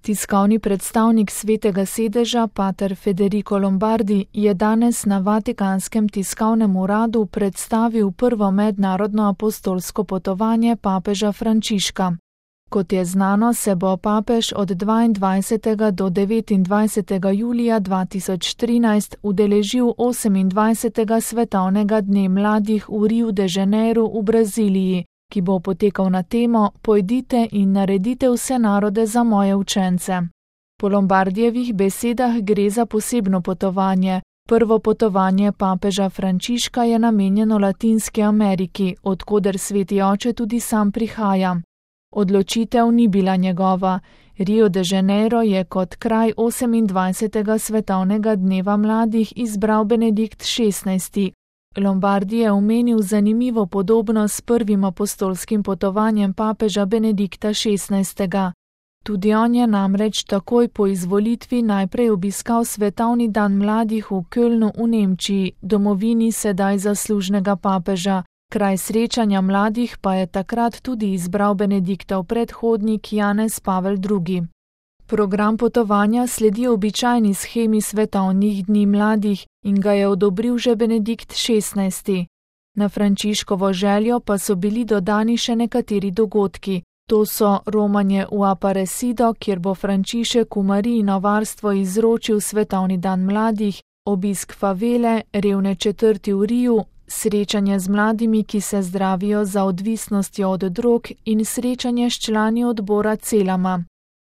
Tiskovni predstavnik Svetega sedeža, pater Federico Lombardi, je danes na Vatikanskem tiskovnem uradu predstavil prvo mednarodno apostolsko potovanje papeža Frančiška. Kot je znano, se bo papež od 22. do 29. julija 2013 udeležil 28. svetovnega dne mladih v Riu de Janeiro v Braziliji, ki bo potekal na temo Pojdite in naredite vse narode za moje učence. Po Lombardijevih besedah gre za posebno potovanje. Prvo potovanje papeža Frančiška je namenjeno Latinski Ameriki, od koder Sveti oče tudi sam prihaja. Odločitev ni bila njegova. Rio de Janeiro je kot kraj 28. svetovnega dneva mladih izbral Benedikt XVI. Lombardi je omenil zanimivo podobnost s prvim apostolskim potovanjem papeža Benedikta XVI. Tudi on je namreč takoj po izvolitvi najprej obiskal Svetovni dan mladih v Kölnu v Nemčiji, domovini sedaj zaslužnega papeža. Kraj srečanja mladih pa je takrat tudi izbral Benediktov predhodnik Janez Pavel II. Program potovanja sledi običajni shemi svetovnih dni mladih in ga je odobril že Benedikt XVI. Na Frančiškovo željo pa so bili dodani še nekateri dogodki. To so romanje v Aparecido, kjer bo Frančišek v Marijino varstvo izročil Svetovni dan mladih, obisk favele, revne četrti v Riju, srečanje z mladimi, ki se zdravijo za odvisnostjo od drog in srečanje s člani odbora Celama.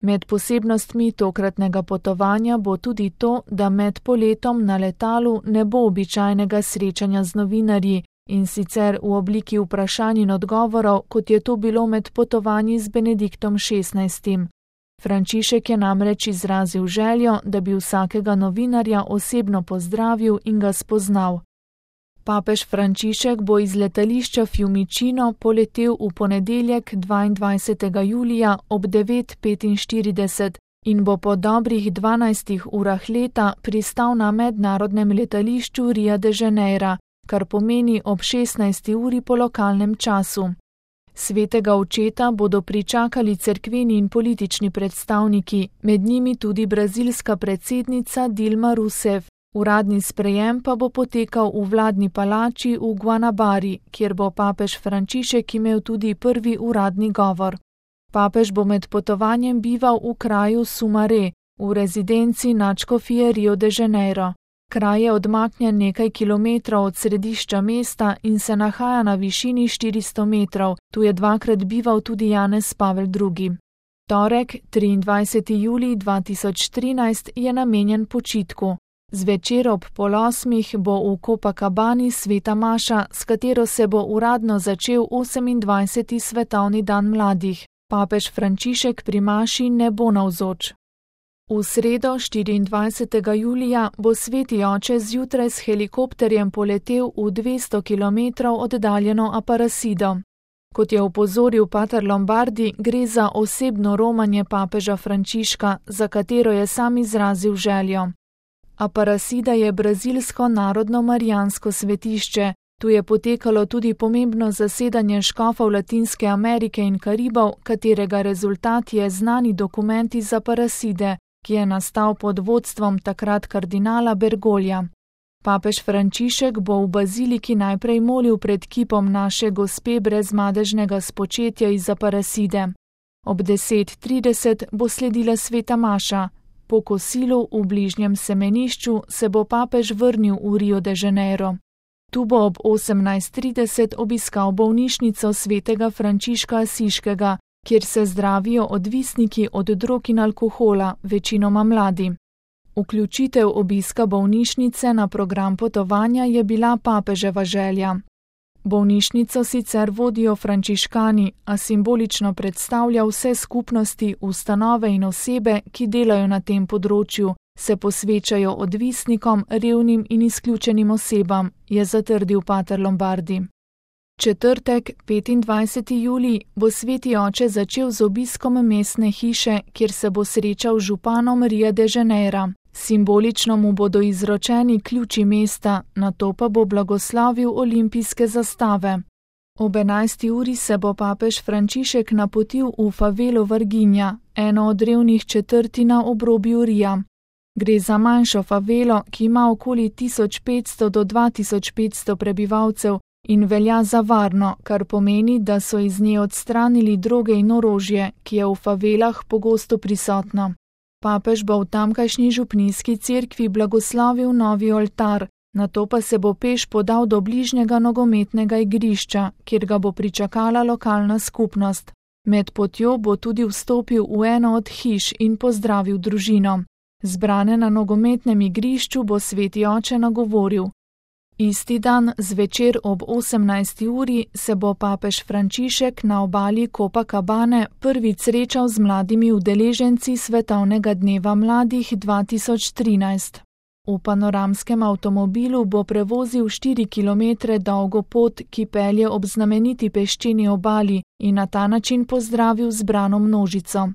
Med posebnostmi tokratnega potovanja bo tudi to, da med poletom na letalu ne bo običajnega srečanja z novinarji, in sicer v obliki vprašanj in odgovorov, kot je to bilo med potovanji z Benediktom XVI. Frančišek je namreč izrazil željo, da bi vsakega novinarja osebno pozdravil in ga spoznal. Papež Frančišek bo iz letališča Fiumicino poletel v ponedeljek 22. julija ob 9:45 in bo po dobrih 12 urah leta pristal na mednarodnem letališču Ria de Janeiro, kar pomeni ob 16. uri po lokalnem času. Svetega očeta bodo pričakali cerkveni in politični predstavniki, med njimi tudi brazilska predsednica Dilma Rousseff. Uradni sprejem pa bo potekal v vladni palači v Guanabari, kjer bo papež Frančišek imel tudi prvi uradni govor. Papež bo med potovanjem bival v kraju Sumaré, v rezidenci nadškofije Rio de Janeiro. Kraj je odmaknjen nekaj kilometrov od središča mesta in se nahaja na višini 400 metrov, tu je dvakrat bival tudi Janez Pavel II. Torek, 23. julij 2013, je namenjen počitku. Zvečer ob 7:30 bo v Copacabani sveta maša, s katero se bo uradno začel 28. svetovni dan mladih. Papež Frančišek pri maši ne bo navzoč. V sredo, 24. julija, bo Sveti oče zjutraj s helikopterjem poletel v 200 km oddaljeno Aparecido. Kot je opozoril pater Lombardi, gre za osebno romanje papeža Frančiška, za katero je sam izrazil željo. Aparecida je brazilsko narodno marijansko svetišče. Tu je potekalo tudi pomembno zasedanje škofov Latinske Amerike in Karibov, katerega rezultat je znani dokument iz Aparecide, ki je nastal pod vodstvom takrat kardinala Bergolja. Papež Frančišek bo v baziliki najprej molil pred kipom naše gospe brezmadežnega spočetja iz Aparecide. Ob 10:30 bo sledila sveta maša. Po kosilu v bližnjem semenišču se bo papež vrnil v Rio de Janeiro. Tu bo ob 18:30 obiskal bolnišnico svetega Frančiška Asiškega, kjer se zdravijo odvisniki od drog in alkohola, večinoma mladi. Vključitev obiska bolnišnice na program potovanja je bila papeževa želja. Bolnišnico sicer vodijo frančiškani, a simbolično predstavlja vse skupnosti, ustanove in osebe, ki delajo na tem področju, se posvečajo odvisnikom, revnim in izključenim osebam, je zatrdil pater Lombardi. Četrtek, 25. julij, bo Sveti oče začel z obiskom mestne hiše, kjer se bo srečal z županom Ria de Janeiro. Simbolično mu bodo izročeni ključi mesta, nato pa bo blagoslavil olimpijske zastave. Ob 11. uri se bo papež Frančišek napotil v favelo Varginja, eno od revnih četrti na obrobju Rija. Gre za manjšo favelo, ki ima okoli 1500 do 2500 prebivalcev in velja za varno, kar pomeni, da so iz nje odstranili droge in orožje, ki je v favelah pogosto prisotno. Papež bo v tamkajšnji župnijski cerkvi blagoslovil novi oltar, nato pa se bo peš podal do bližnjega nogometnega igrišča, kjer ga bo pričakala lokalna skupnost. Med potjo bo tudi vstopil v eno od hiš in pozdravil družino. Zbrane na nogometnem igrišču bo sveti oče nagovoril. Isti dan zvečer ob 18. uri se bo papež Frančišek na obali Copacabane prvič srečal z mladimi udeleženci Svetovnega dneva mladih 2013. V panoramskem avtomobilu bo prevozil 4 km dolgo pot, ki pelje ob znameniti peščeni obali in na ta način pozdravil zbrano množico.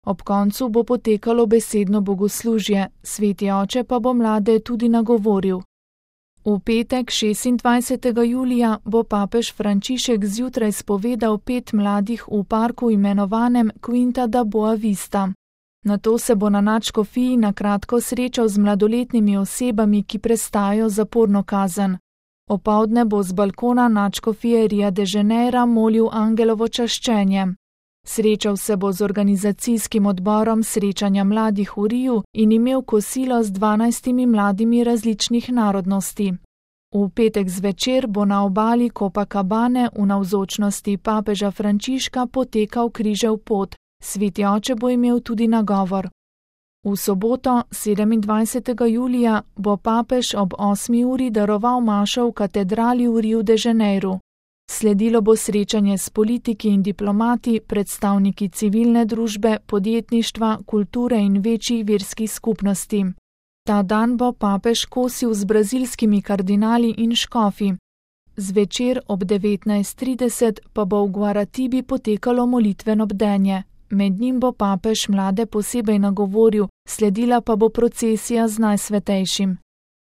Ob koncu bo potekalo besedno bogoslužje, sveti oče pa bo mlade tudi nagovoril. V petek 26. julija bo papež Frančišek zjutraj spovedal 5 mladih v parku imenovanem Quinta da Boa Vista. Nato se bo na nadškofiji na kratko srečal z mladoletnimi osebami, ki prestajajo zaporno kazen. Opoldne bo z balkona nadškofije Ria de Janeira molil angelovo čaščenje. Srečal se bo z organizacijskim odborom srečanja mladih v Riju in imel kosilo z 12 mladimi različnih narodnosti. V petek zvečer bo na obali Copacabane v navzočnosti papeža Frančiška potekal križev pot, sveti oče bo imel tudi nagovor. V soboto, 27. julija, bo papež ob 8. uri daroval mašo v katedrali v Riu de Janeiru. Sledilo bo srečanje s politiki in diplomati, predstavniki civilne družbe, podjetništva, kulture in večjih verskih skupnosti. Ta dan bo papež kosil z brazilskimi kardinali in škofi. Zvečer ob 19:30 pa bo v Guaratibi potekalo molitveno bdenje. Med njim bo papež mlade posebej nagovoril, sledila pa bo procesija z Najsvetejšim.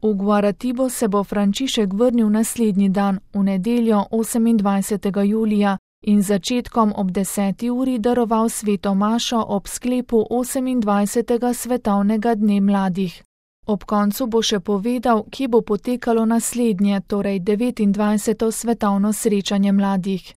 V Guaratibo se bo Frančišek vrnil naslednji dan, v nedeljo 28. julija, in začetkom ob 10. uri daroval sveto mašo ob sklepu 28. svetovnega dne mladih. Ob koncu bo še povedal, kje bo potekalo naslednje, torej 29. svetovno srečanje mladih.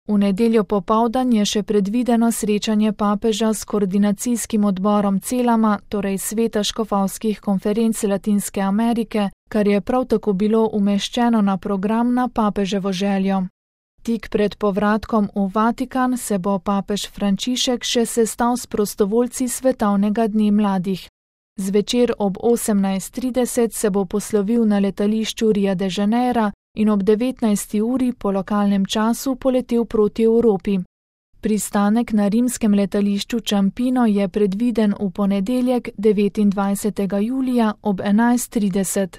V nedeljo popoldan je še predvideno srečanje papeža s koordinacijskim odborom CELAM-a, torej Sveta škofovskih konferenc Latinske Amerike, kar je prav tako bilo umeščeno na program na papeževo željo. Tik pred povratkom v Vatikan se bo papež Frančišek še sestal s prostovoljci Svetovnega dne mladih. Zvečer ob 18:30 se bo poslovil na letališču Ria de Janeira in ob 19. uri po lokalnem času poletel proti Evropi. Pristanek na rimskem letališču Ciampino je predviden v ponedeljek 29. julija ob 11:30.